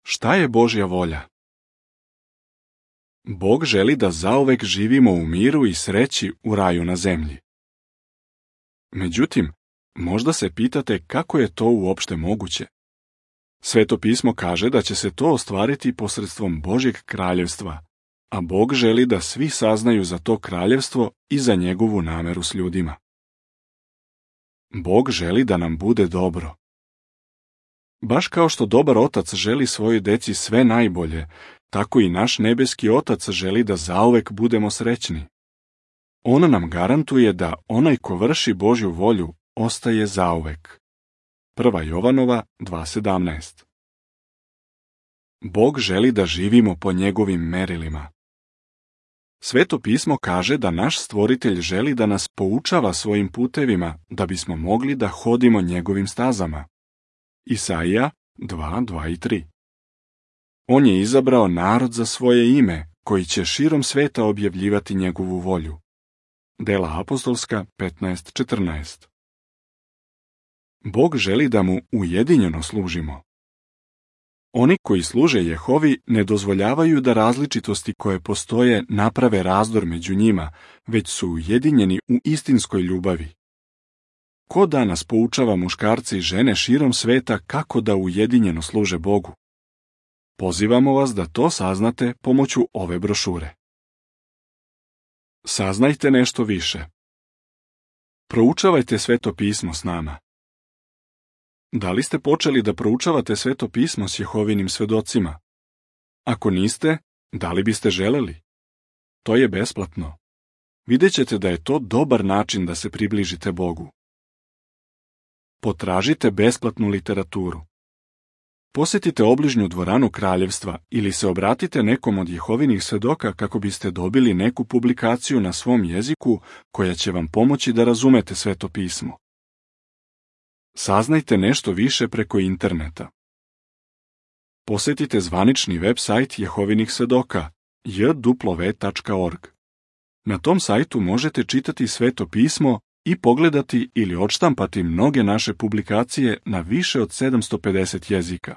Šta je Božja volja? Bog želi da zauvek živimo u miru i sreći u raju na zemlji. Međutim, možda se pitate kako je to uopšte moguće. Sveto pismo kaže da će se to ostvariti posredstvom Božjeg kraljevstva, a Bog želi da svi saznaju za to kraljevstvo i za njegovu nameru s ljudima. Bog želi da nam bude dobro. Baš kao što dobar otac želi svojoj deci sve najbolje, tako i naš nebeski otac želi da zauvek budemo srećni. On nam garantuje da onaj ko vrši Božju volju ostaje zauvek. 1. Jovanova 2.17. Bog želi da živimo po njegovim merilima. Sveto pismo kaže da naš Stvoritelj želi da nas poučava svojim putevima da bismo mogli da hodimo njegovim stazama. Isaija 2.2 i 3. On je izabrao narod za svoje ime, koji će širom sveta objavljivati njegovu volju. Dela apostolska 15.14. Bog želi da mu ujedinjeno služimo. Oni koji služe Jehovi ne dozvoljavaju da različitosti koje postoje naprave razdor među njima, već su ujedinjeni u istinskoj ljubavi. Ko danas poučava muškarce i žene širom sveta kako da ujedinjeno služe Bogu? Pozivamo vas da to saznate pomoću ove brošure. Saznajte nešto više. Proučavajte Sveto pismo s nama. Da li ste počeli da proučavate Sveto pismo s Jehovinim svedocima? Ako niste, da li biste želeli? To je besplatno. Vidjet ćete da je to dobar način da se približite Bogu. Potražite besplatnu literaturu. Posjetite obližnju dvoranu kraljevstva ili se obratite nekom od Jehovinih svedoka kako biste dobili neku publikaciju na svom jeziku koja će vam pomoći da razumete Sveto pismo. Saznajte nešto više preko interneta. Posjetite zvanični web sajt Jehovinih svedoka jw.org. Na tom sajtu možete čitati Sveto pismo i pogledati ili odštampati mnoge naše publikacije na više od 750 jezika.